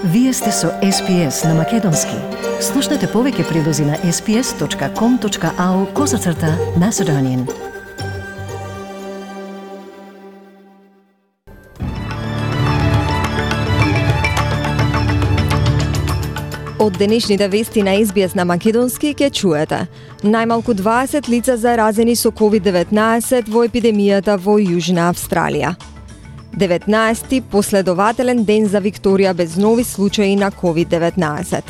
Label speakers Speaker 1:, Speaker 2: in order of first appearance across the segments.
Speaker 1: Вие сте со SPS на Македонски. Слушнете повеќе прилози на sps.com.au/Macedonian.
Speaker 2: Од денешните вести на SBS на Македонски ќе чуете. Најмалку 20 лица заразени со COVID-19 во епидемијата во Јужна Австралија. 19-ти последователен ден за Викторија без нови случаи на COVID-19.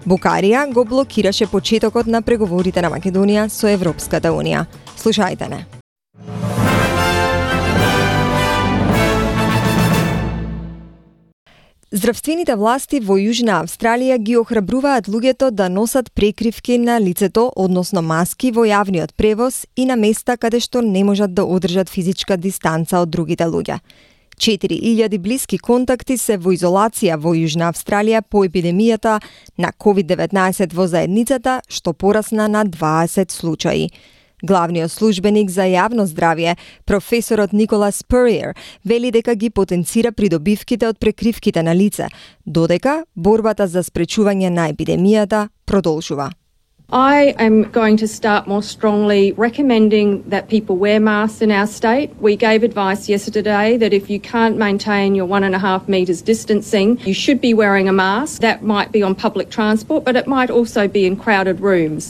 Speaker 2: Букарија го блокираше почетокот на преговорите на Македонија со Европската Унија. Слушајте не. Здравствените власти во Јужна Австралија ги охрабруваат луѓето да носат прекривки на лицето, односно маски, во јавниот превоз и на места каде што не можат да одржат физичка дистанца од другите луѓе. 4000 блиски контакти се во изолација во Јужна Австралија по епидемијата на COVID-19 во заедницата, што порасна на 20 случаи. Главниот службеник за јавно здравје, професорот Никола Спуриер, вели дека ги потенцира придобивките од прекривките на лице, додека борбата за спречување на епидемијата продолжува.
Speaker 3: I am going to start more strongly recommending that people wear masks in our state. We gave advice yesterday that if you can't maintain your 1.5 metres distancing, you should be wearing a mask. That might be on public transport, but it might also be in crowded rooms.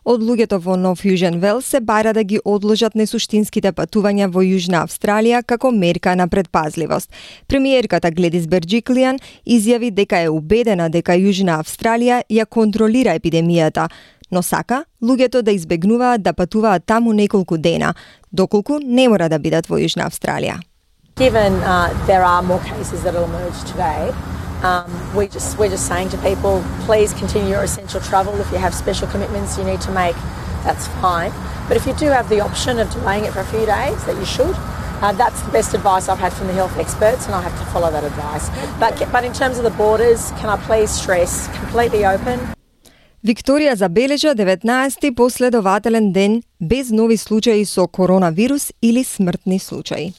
Speaker 2: Од луѓето во Нов Јужен Велс се бара да ги одложат несуштинските патувања во Јужна Австралија како мерка на предпазливост. Премиерката Гледис Берџиклијан изјави дека е убедена дека Јужна Австралија ја контролира епидемијата, но сака луѓето да избегнуваат да патуваат таму неколку дена, доколку не мора да бидат во Јужна Австралија.
Speaker 4: Given there are more cases that will emerge today, we're just saying to people, please continue your essential travel. If you have special commitments you need to make, that's fine. But if you do have the option of delaying it for a few days, that you should. That's the best advice I've had from the health experts, and I have to follow that advice. But in terms of the borders, can I please stress, completely open.
Speaker 2: Викторија забележа 19-ти последователен ден без нови случаи со коронавирус или смртни случаи.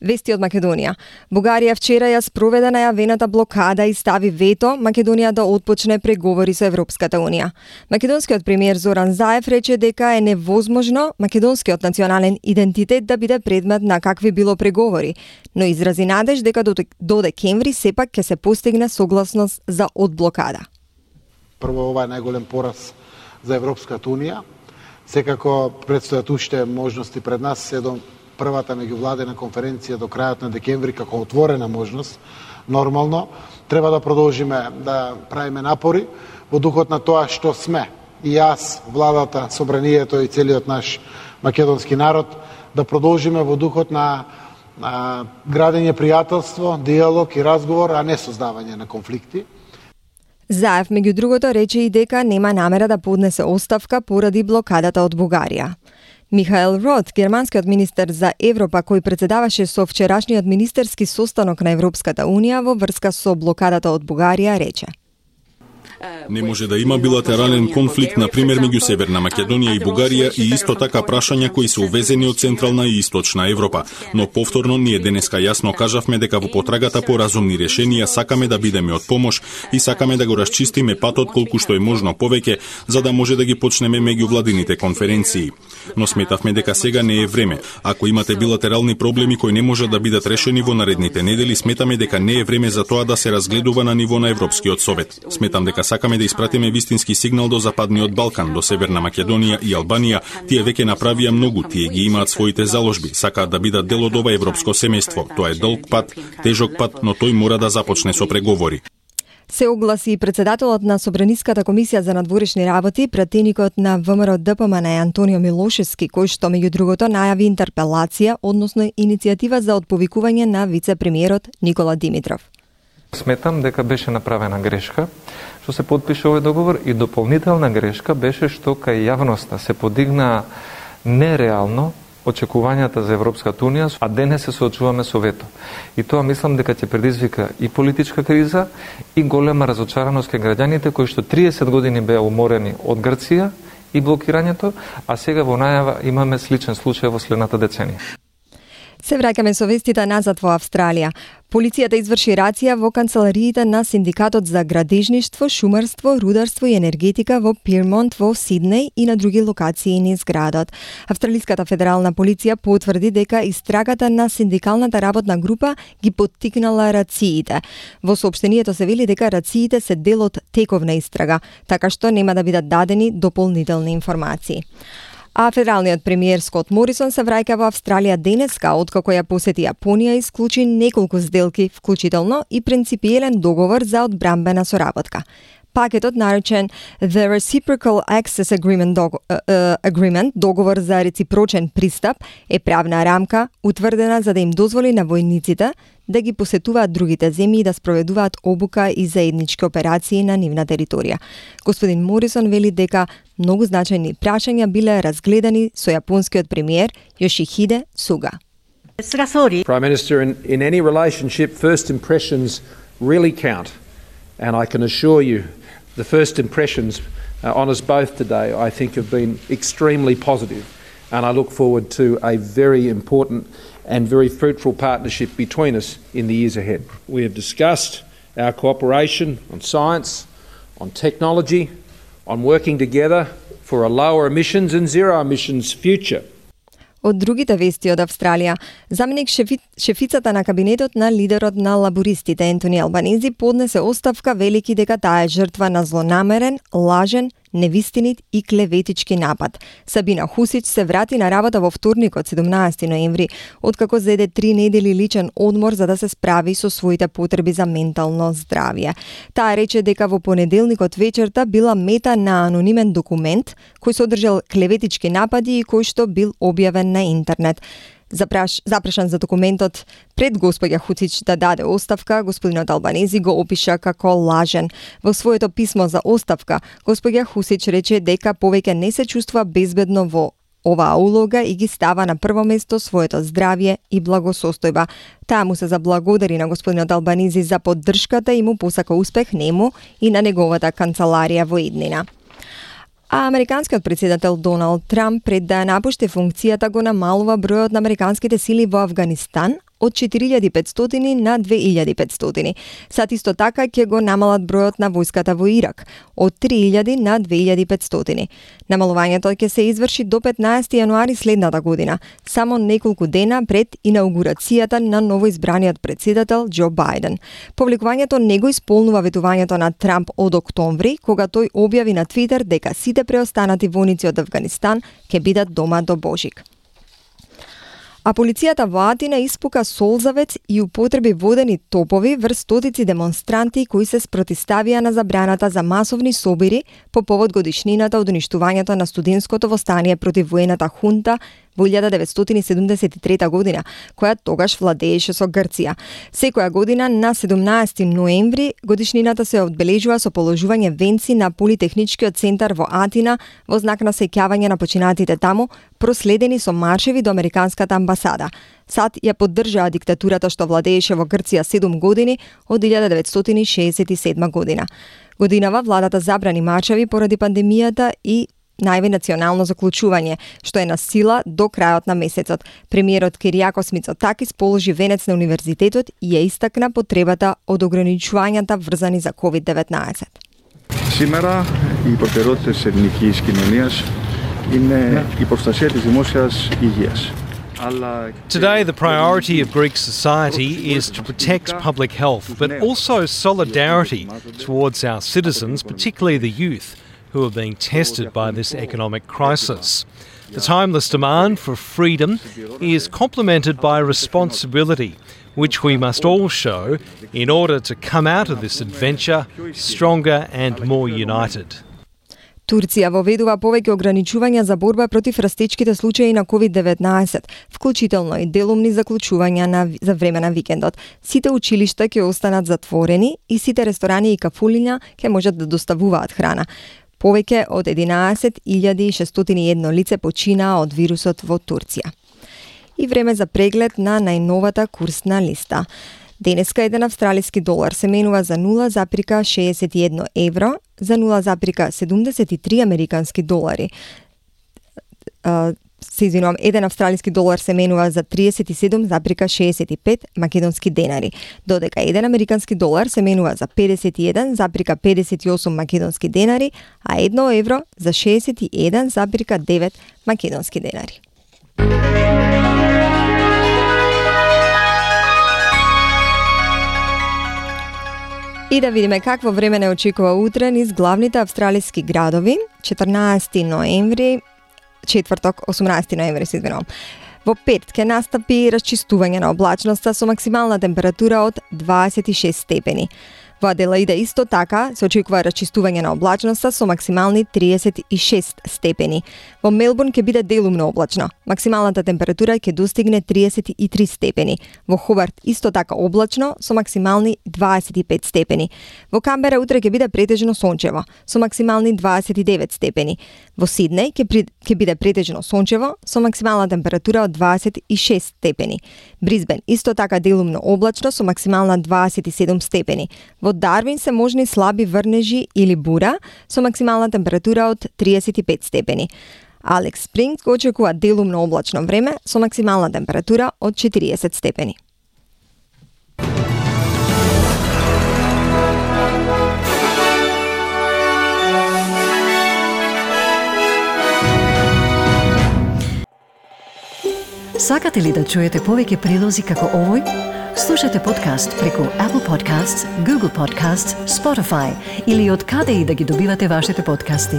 Speaker 2: Вести од Македонија. Бугарија вчера ја спроведе најавената блокада и стави вето Македонија да отпочне преговори со Европската Унија. Македонскиот премиер Зоран Заев рече дека е невозможно македонскиот национален идентитет да биде предмет на какви било преговори, но изрази надеж дека до декември сепак ќе се постигне согласност за одблокада.
Speaker 5: Прво, ова е најголем пораз за Европската Унија. Секако предстојат уште можности пред нас, се до првата меѓувладена конференција до крајот на декември како отворена можност. Нормално, треба да продолжиме да правиме напори во духот на тоа што сме. И јас, владата, собранието и целиот наш македонски народ да продолжиме во духот на градење пријателство, диалог и разговор, а не создавање на конфликти.
Speaker 2: Заев, меѓу другото, рече и дека нема намера да поднесе оставка поради блокадата од Бугарија. Михаел Рот, германскиот министер за Европа, кој председаваше со вчерашниот министерски состанок на Европската Унија во врска со блокадата од Бугарија, рече:
Speaker 6: Не може да има билатерален конфликт, на пример, меѓу Северна Македонија и Бугарија и исто така прашања кои се увезени од Централна и Источна Европа. Но повторно ние денеска јасно кажавме дека во потрагата по разумни решенија сакаме да бидеме од помош и сакаме да го расчистиме патот колку што е можно повеќе, за да може да ги почнеме меѓувладините конференции. Но сметавме дека сега не е време. Ако имате билатерални проблеми кои не можат да бидат решени во наредните недели, сметаме дека не е време за тоа да се разгледува на ниво на Европскиот совет. Сметам дека сакаме да испратиме вистински сигнал до Западниот Балкан, до Северна Македонија и Албанија. Тие веќе направија многу, тие ги имаат своите заложби, сакаат да бидат дел од ова европско семејство. Тоа е долг пат, тежок пат, но тој мора да започне со преговори.
Speaker 2: Се огласи и председателот на Собраниската комисија за надворешни работи, пратеникот на ВМРО-ДПМН Антонио Милошевски, кој што меѓу другото најави интерпелација, односно иницијатива за отповикување на вице-премиерот Никола Димитров.
Speaker 7: Сметам дека беше направена грешка што се подпише овој договор и дополнителна грешка беше што кај јавноста се подигна нереално очекувањата за Европската Унија, а денес се соочуваме со вето. И тоа мислам дека ќе предизвика и политичка криза и голема разочараност кај граѓаните кои што 30 години беа уморени од Грција и блокирањето, а сега во најава имаме сличен случај во следната деценија.
Speaker 2: Се враќаме со вестите назад во Австралија. Полицијата изврши рација во канцелариите на Синдикатот за градежништво, шумарство, рударство и енергетика во Пирмонт во Сиднеј и на други локации низ градот. Австралиската федерална полиција потврди дека истрагата на синдикалната работна група ги поттикнала рациите. Во соопштението се вели дека рациите се дел од тековна истрага, така што нема да бидат дадени дополнителни информации. А федералниот премиер Скот Морисон се враќа во Австралија денеска, откако ја посети Јапонија и склучи неколку сделки, вклучително и принципиелен договор за одбрамбена соработка. Пакетот наречен The Reciprocal Access Agreement, договор за реципрочен пристап, е правна рамка утврдена за да им дозволи на војниците да ги посетуваат другите земји и да спроведуваат обука и заеднички операции на нивна територија. Господин Морисон вели дека многу значајни прашања биле разгледани со јапонскиот премиер Йошихиде Суга.
Speaker 8: Prime Minister, in any relationship, first impressions really count. And I can assure you, the first impressions on us both today, I think, have been extremely positive. And I look forward to a very important and very fruitful partnership between us in the years ahead. We have discussed our cooperation on science, on technology, on working together for a lower emissions and zero emissions future.
Speaker 2: Од другите вести од Австралија, заменик шефицата на кабинетот на лидерот на лабористите Ентони Албанези поднесе оставка, велики дека таа е жртва на злонамерен, лажен, невистинит и клеветички напад. Сабина Хусич се врати на работа во вторникот 17 ноември, откако зеде 3 недели личен одмор за да се справи со своите потреби за ментално здравје. Таа рече дека во понеделникот вечерта била мета на анонимен документ кој содржал клеветички напади и кој што бил објавен на интернет. Запрашан за документот пред господја Хуцич да даде оставка, господинот Албанези го опиша како лажен. Во своето писмо за оставка, господја Хусич рече дека повеќе не се чувствува безбедно во оваа улога и ги става на прво место своето здравје и благосостојба. Таа му се заблагодари на господинот Албанези за поддршката и му посака успех нему и на неговата канцеларија во иднина. А американскиот председател Доналд Трамп пред да напушти функцијата го намалува бројот на американските сили во Афганистан од 4500 на 2500. Сад исто така ќе го намалат бројот на војската во Ирак од 3000 на 2500. Намалувањето ќе се изврши до 15 јануари следната година, само неколку дена пред инаугурацијата на новоизбраниот председател Џо Бајден. Повлекувањето не го исполнува ветувањето на Трамп од октомври, кога тој објави на Твитер дека сите преостанати војници од Афганистан ќе бидат дома до Божик. А полицијата во Атина испука солзавец и употреби водени топови врз стотици демонстранти кои се спротивставија на забраната за масовни собири по повод годишнината од уништувањето на студентското востание против воената хунта во 1973 година, која тогаш владееше со Грција. Секоја година на 17 ноември годишнината се одбележува со положување венци на Политехничкиот центар во Атина во знак на сеќавање на починатите таму, проследени со маршеви до американската амбасада. САД ја поддржаа диктатурата што владееше во Грција 7 години од 1967 година. Годинава владата забрани маршеви поради пандемијата и најави национално заклучување, што е на сила до крајот на месецот. Премиерот Киријакос Мицотакис положи венец на универзитетот и ја истакна потребата од ограничувањата врзани за COVID-19.
Speaker 9: Σήμερα οι προτεραιότητες της ελληνικής κοινωνίας είναι η προστασία της δημόσιας υγείας.
Speaker 10: Today, the priority of Greek society is to protect public health, but also solidarity towards our citizens, particularly the youth, who are being tested by this economic crisis. The timeless demand for freedom is complemented by responsibility, which we must all show in order to come out of this adventure stronger and more united.
Speaker 2: Турција воведува повеќе ограничувања за борба против растечките случаи на COVID-19, вклучително и делумни заклучувања за време на викендот. Сите училишта ќе останат затворени и сите ресторани и кафулиња ќе можат да доставуваат храна. Повеќе од 11.601 лице починаа од вирусот во Турција. И време за преглед на најновата курсна листа. Денеска еден австралиски долар се менува за 0,61 евро, за 0,73 американски долари. 1 австралиски долар се менува за 37,65 македонски денари, додека 1 американски долар се менува за 51,58 македонски денари, а 1 евро за 61,9 македонски денари. И да видиме какво време не очекува утре низ главните австралиски градови, 14 ноември, четврток, 18 ноември, се извинувам. Во петок ќе настапи расчистување на облачноста со максимална температура од 26 степени. Во Аделаида исто така се очекува расчистување на облачноста со максимални 36 степени. Во Мелбурн ќе биде делумно облачно. Максималната температура ќе достигне 33 степени. Во Хобарт исто така облачно со максимални 25 степени. Во Камбера утре ќе биде претежно сончево со максимални 29 степени. Во Сиднеј ќе биде претежно сончево со максимална температура од 26 степени. Брисбен исто така делумно облачно со максимална 27 степени. Во Дарвин се можни слаби врнежи или бура со максимална температура од 35 степени. Алекс Спрингс го очекува делумно облачно време со максимална температура од 40 степени.
Speaker 1: Сакате ли да чуете повеќе прилози како овој? Слушате подкаст преку Apple Podcasts, Google Podcasts, Spotify или од каде и да ги добивате вашите подкасти.